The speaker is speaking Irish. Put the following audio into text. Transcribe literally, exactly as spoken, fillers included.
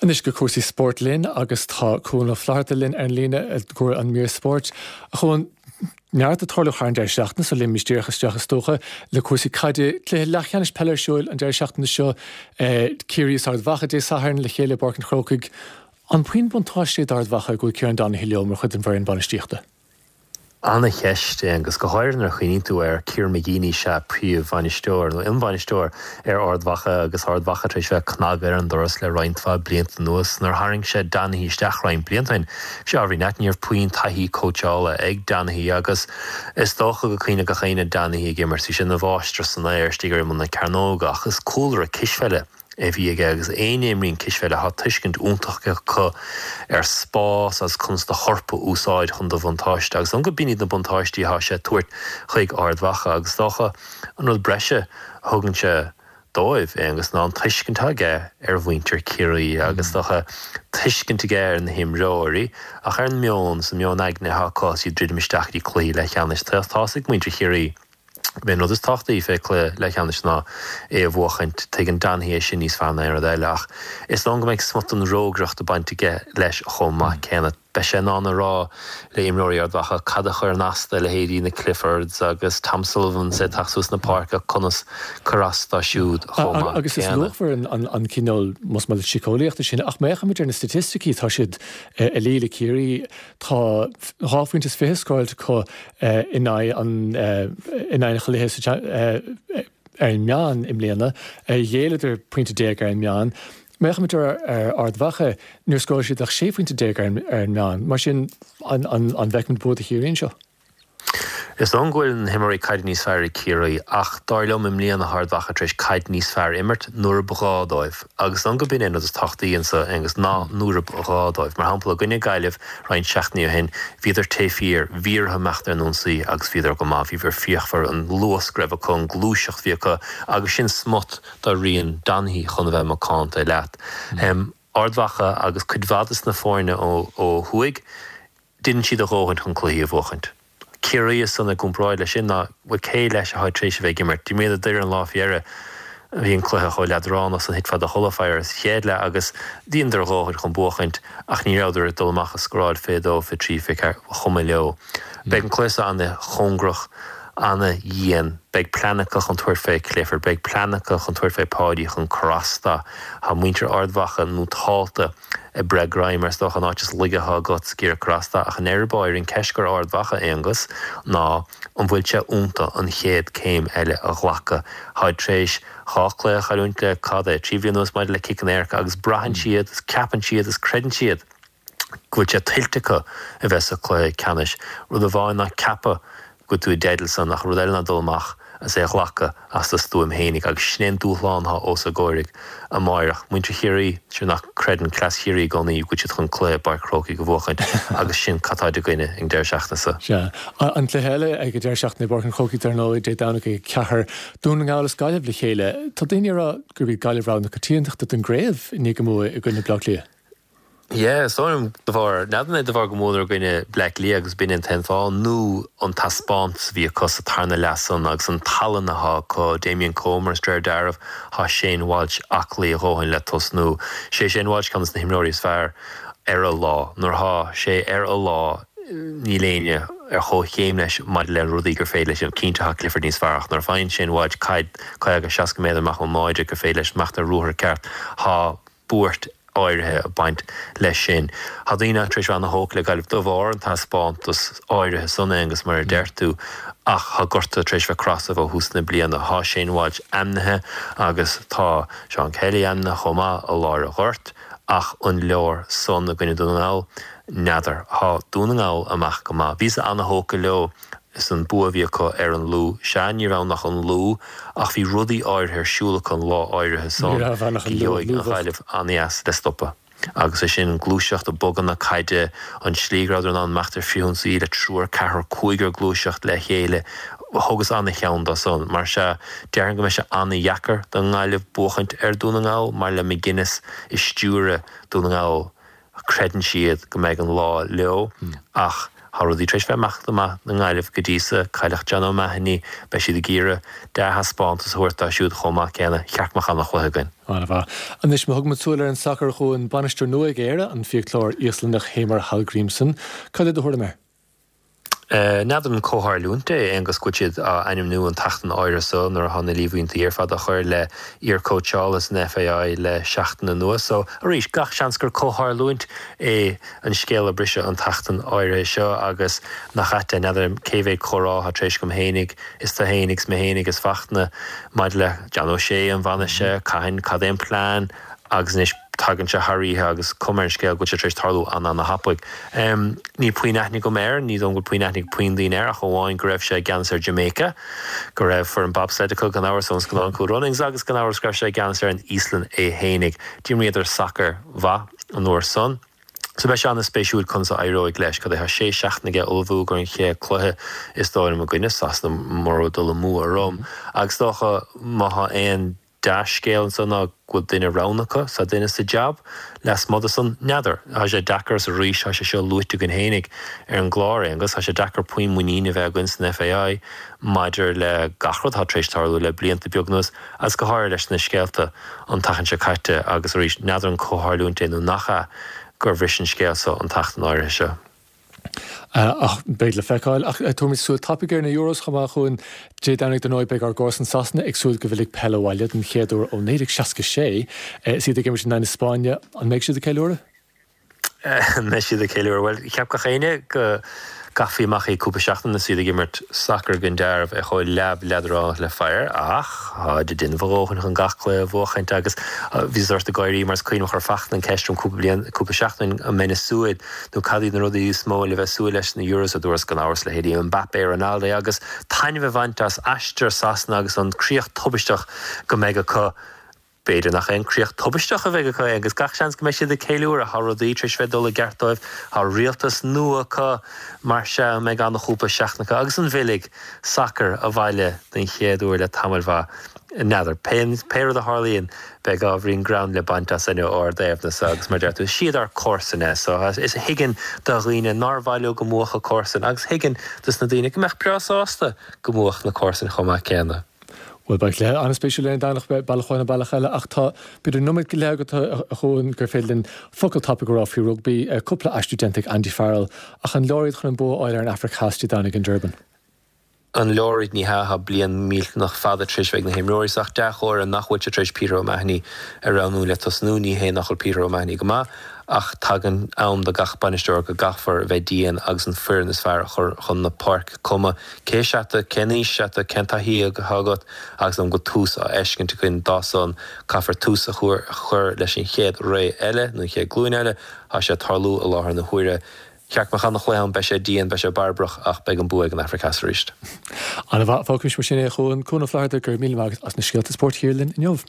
Anois go cúrsaí spóirt linn agus tá Cuan Ó Flatharta linn ar an líne i gcomhair an mír spóirt. A Chuain neart ag tarlú thar an deireadh seachtaine so léimfimid díreach isteach is dócha le cúrsaí caide cluiche leathcheannais peile ar siúl an deireadh seachtaine seo Ciarraí is Ard Mhacha Dé Sathairn le chéile i bPáirc an Chrócaigh. An puinn buntáiste d'Ard Mhacha go bhfuil Kieran Donaghy leo mar chuid den bhfoireann bainistíochta. An-cheist é agus go háirithe nuair a chuimhníonn tú ar Kieran McGeeney is ea príomhbhainisteoir nó imbhainisteoir ar Ard Mhacha agus Ard Mhacha tar éis bheith ag cnagadh ar an doras le roinnt mhaith blianta anuas nuair tharraing sé Donaghy isteach roinnt blianta ó shin. Sé ábhairín leat ní raibh puinn taithí cóitseála ag Donaghy agus is dócha go cuimhneach gach éinne Donaghy ag imirt bhí sé ina mháistir san aer istigh ar imeall na cearnóga ach is cúlra cispheile a bhí aige agus éinne a imríonn cispheile tá tuiscint iontach acu ar spás agus conas do chorp a úsáid chun do bhuntáiste agus an go b'in iad na buntáistí atá sé tabhairt chuig Ard Mhacha agus dócha an rud breise a thugann sé dóibh é agus ná an tuiscint aige ar mhuintir Ciarraí agus dócha tuiscint aige ar na himreoirí ach ar an meon sa meon aigne atá acu is iad druidim isteach i cluichí leathcheannais tá ag muintir Chiarraí. B'é an rud is tábhachtaí fé cluiche leathcheannais ná é a bhuachaint tuigeann Donaghy é sin níos fearr ná aon rud eile ach is dóigh go mbeidh smut den rógaireacht ag baint aige leis chomh maith céanna. Beidh sé in ann a rá le imreoirí Ard Mhacha cad a chuireann as do leithéidí na Cliffords agus Tom Sullivan is ag teacht suas na páirce conas cur as dóibh siúd chomh maith Agus is luachmhar an an cineál más maith síceolaíochta sin ach má fhéachaimid ar na staitisticí tá siad ag luí le Ciarraí tá dhá phointe is fiche scóráilte acu in aghaidh an in aghaidh an chluiche ar an meán i mbliana, ghéilleadar pointe déag ar an meán. Má fhéachaimid ar ar Ard Mhacha níor scóráil siad ach sé phointe déag ar an meán, mar sin an an bhfeicimid bua do Chiarraí anseo. Is dóigh go bhfuil na himreoirí caide níos fearr ag Ciarraí ach dar liom i mbliana Ard Mhacha tar éis caid níos fearr imirt nuair ba ghá dóibh agus dóigh go b'in é an rud is tábhachtaí anseo agus ná nuair ba ghá dóibh. Mar shampla i gcoinne Gaillimh roinnt seachtainí ó shin bhíodar taobh thiar, bhí orthu imeacht ar an ionsaí agus bhíodar go maith, bhíodar fíochmhar an luas go raibh acu an ghluaiseacht bhí acu agus sin smut de rian Donaghy chun a bheith macánta leat. Um, Ard Mhacha agus cuid mhaith des na foirne ó, ó thuaidh, déanann siad a dhóthain chun cluichí a bhuachaint. Ciarraí san i gcomparáid leis sin ná bhfuil cé leis atá tar éis a bheith ag imirt. D'imríodar Doire an lá faoi dheireadh bhí an cluiche chomh leadránach san thitfeá i do chodladh fé an chéad leath agus dheineadar a dhóthain chun buachaint ach ní rabhadar ag dul amach a scóráil fé dó fé trí fé ceathair chuma leo. Beidh an cluiche an-chóngarach an-dhian, beidh plean acu chun tabhairt fé Clifford, beidh plean acu chun tabhairt fé Páidí chun cur as dó. Tá muintir Ard Mhacha nótálta ag breith greim ar is dócha an áit is laige atá agat ag iarraidh cur as dó ach in air báir an ceist gur Ard Mhacha Aonghus ná an bhfuil sé iontu an chéad céim eile a ghlacadh. Tá tar éis dhá chluiche a chailliúint le cad é trí bhliain anuas maidir le ciceanna éirice agus braitheann siad is ceapann siad is creideann siad go bhfuil sé tuillte acu a bheith sa chluiche ceannais. Rud amháin ná ceapadh go tú i dteideal san ach rud eile ná dul amach as é a ghlacadh as do stuaim fhéinig agus sin é an dúshlán atá os a gcomhair amárach. Muintir Chiarraí sin nach creideann cleas Chiarraí i gcónaí go bhfuil siad chun cluiche i bPáirc Chrócaigh a bhuachaint agus sin cad tá i gcoinne ag deireadh seachtaine seo. Sea. An cluiche eile ag an deireadh seachtaine i bPáirc an Chrócaigh dar ndóigh Dé Domhnaigh ag ceathair Dún na nGall is Gaillimh le chéile. Tá daoine ag rá gurb iad Gaillimh rogha na coitiantachta don gcraobh i ndiaidh a mbua i gcoinne Bleá Cliath. Yeah, so de bharr n'fheadar de bharr go bhfuadar i gcoinne Bleá Cliath agus b'in an t-aon fáth nó an taispeántas a bhí acu sa tarna leath san agus an tallann atá acu Damien Comer is dréir dealraimh tá Shane Walsh aclaí a dhóthain le tosnú. Sé Shane Walsh ceann de na himreoirí is fearr ar a lá nuair atá sé ar a lá níl éinne ar chomhchéim leis maidir le rudaí gur féidir leis an cinnte tá Clifford níos fearr ach nuair a faigheann Shane Walsh caid caoga seasca méadar amach ón mbáide gur féidir leis imeacht ar ruathar ceart tá buairt áirithe ag baint leis sin. Tá daoine tar éis an-thógtha le Gaillimh de bharr an taispeántas áirithe san agus mar a deir tú ach tá gorta tar éis bheith crosadh ó thús na bliana. Tá Shane Walsh ainmnithe agus tá Seán Kelly ainmnithe chomh maith i lár an ghoirt ach an leor san i gcoinne Dún na nGall n'fheadar. Tá Dún na nGall amach go maith. Bhíos an-thógtha leo is an bua a bhí acu ar an Lú. Sea ní raibh ach an Lú ach bhí rudaí áirithe ar siúl acu an lá áirithe san Ní raibh ach an Lú, gheobhaidh an Lú Ghaillimh an-deas le stopadh. Agus é sin an gluaiseacht a bogadh na caide an slí go rabhadar in ann imeacht ar frithionsaí le triúr ceathrar cúigear gluaiseacht le chéile thugas an-cheann dó san. Mar sea déarfainn go mbeidh sé an-dheacair don nGaillimh buachaint ar Dún na nGall mar le McGuinness i stiúradh Dún na nGall creideann siad go mbeidh an lá leo ach Tá rudaí tar éis bheith ag imeacht go maith na nGaillimh go dtí so, cailleadh John O'Mahony, beidh siad ag iarraidh dea-thaispeántas a thabhairt dóibh siúd chomh maith céanna. Cheart go mbeadh an-chluiche againn. An-mhaith. Anois, má thugaimid súil ar an sacar, a Chuain, bainisteoir nua ag Éire, an fiaclóir Íoslannach Heimir Hallgrímsson. Cad é do thuairim air? N'fheadar an comhtharlúint é, Aonghus, go bhfuil siad á ainmniú an tseachtain áirithe so nuair atá na líomhaintí ar fad á chur le iarchóitseálaithe san FAI le seachtain anuas. So, arís, gach seans gur comhtharlúint é an scéal a briseadh an tseachtain áirithe seo agus nach ait é, n'fheadar cé mhéad comhrá atá tar éis agam fhéinig is tú fhéinig is mé fhéinig is Fachtna maidir le John O'Shea, an bhfanfaidh sé, cathain, cad é an plean agus anois tagann sé thar oíche agus cuma ar an scéal go bhfuil sé tar éis tarlú an-an-thapaidh. Níl puinn aithne agam air, ní dóigh go bhfuil puinn aithne ag puinn daoine air ach amháin go raibh sé i gceannas ar Jamaica, go raibh foireann bobsled acu gan amhras ón scannán Cool Runnings agus gan amhras go raibh sé i gceannas ar an Íoslainn é fhéinig. D'imríodar sacar mhaith an uair san. So beidh sé an-spéisiúil conas a éireoidh leis. Cad é, tá sé seachtaine aige ullmhú don chéad cluiche is dóigh liom i gcoinne Sasana mura bhfuil dul amú orm. Agus is dócha má tá aon dea-scéal anso ná go bhfuil duine roghnaithe acu, tá duine sa jab, lasmuigh de san, n'fheadar. Tá sé deacair is arís tá sé seo luaite againn fhéinig ar an gclár, Aonghus, tá sé deacair puinn muiníne a bheith againn san FAI maidir le gach rud atá tar éis tarlú le blianta beaga anuas agus go háirithe leis na scéalta an tseachtain seo caite agus arís n'fheadar an comhtharlúint é nó nach ea gur bhris an scéal seo an tseachtain áirithe seo. Ach beidh le feiceáil. Ach tabharfaimid súil tapaidh ar na Euros chomh maith, a Chuain. Dé Domhnaigh dar ndóigh beidh ár gcomharsain Sasana ag súil go bhfillfidh peil abhaile den chéad uair ó naoi déag seasca sé. Is iad ag imirt in aghaidh na Spáinne. An mbeidh siad ag ceiliúradh? An mbeidh siad ag ceiliúradh? Bhuel, cheap gach éinne go gcaithfí amach é cúpla seachtain is iad ag imirt sacar den dearbh é chomh leamh leadránach le fire ach táid ag déanamh a ndóthain chun gach cluiche a bhuachaint agus bhí sórt ag gáirí mar is cuimhin liom chuir Fachtna an ceist orm cúpla bliain, cúpla seachtain an mbeinn ag súil nó cad iad na rudaí is mó le bheith súil leis sna Euros a dúras gan amhras leithéidí Mbappé, Ronaldo agus taitneamh a bhaint as aistear Sasana agus an críoch tubaisteach go mbeidh acu. B'fhéidir nach aon críoch tubaisteach a bheidh acu agus gach seans go mbeidh siad ag ceiliúradh. Tá rudaí tar éis bheith ag dul i gceart dóibh, tá rialtas nua acu, mar sea, an mbeidh an-chúpla seachtain acu agus an bhfillfidh sacar abhaile den chéad uair le tamall mhaith? N'fheadar. Pé rud a tharlaíonn, beidh ábhairín greann le baint as ó ár dtaobhna so agus mar a deir tú, is iad ár comharsain so is thuigfinn do dhaoine nár mhaith leo go mbuafadh a comharsain agus thuigfinn dos na daoine go mbeadh breá sásta go mbuafadh na comharsain chomh maith céanna. Bhuel, beidh cluiche an-spéisiúil ar an Domhnach, bealach amháin nó bealach eile, ach tá b'fhéidir nóiméad go leith agat, a Chuain, gur féidir linn focal tapaidh a rá faoi rugbaí. Cúpla aistriú déanta ag Andy Farrell, ach an leor iad chun an bua a fháil ar an Afraic Theas Dé Domhnaigh in Durban? An leor iad? Ní hea, tá bliain millteanach fada tar éis bheith ag na himreoirí so ach dea-chomhartha nach bhfuil sé tar éis Peter O'Mahony a roghnú le tosnú. Ní hé nach bhfuil Peter O'Mahony go maith ach tagann am do gach bainisteoir go gcaithfear a bheith dian agus an foireann is fearr a chur chun na páirce, cuma cé is ea tú, cén aois is ea tú, cén taithí atá agat agus an go bhfuil tús á fheiscint againn dá son, caithfear tús a chur leis an chéad ré eile, nó an chéad glúin eile, tá sé ag tarlú i láthair na huaire. Cheart go mbeadh an-chluiche ann, beidh sé dian, beidh sé barbarach ach beidh an bua ag an Afraic Theas arís. An-mhaith, fágfaimis mar sin é a Chuain. Cuan Ó Flatharta, go raibh míle maith agat as na scéalta spóirt a chíoradh linn inniu.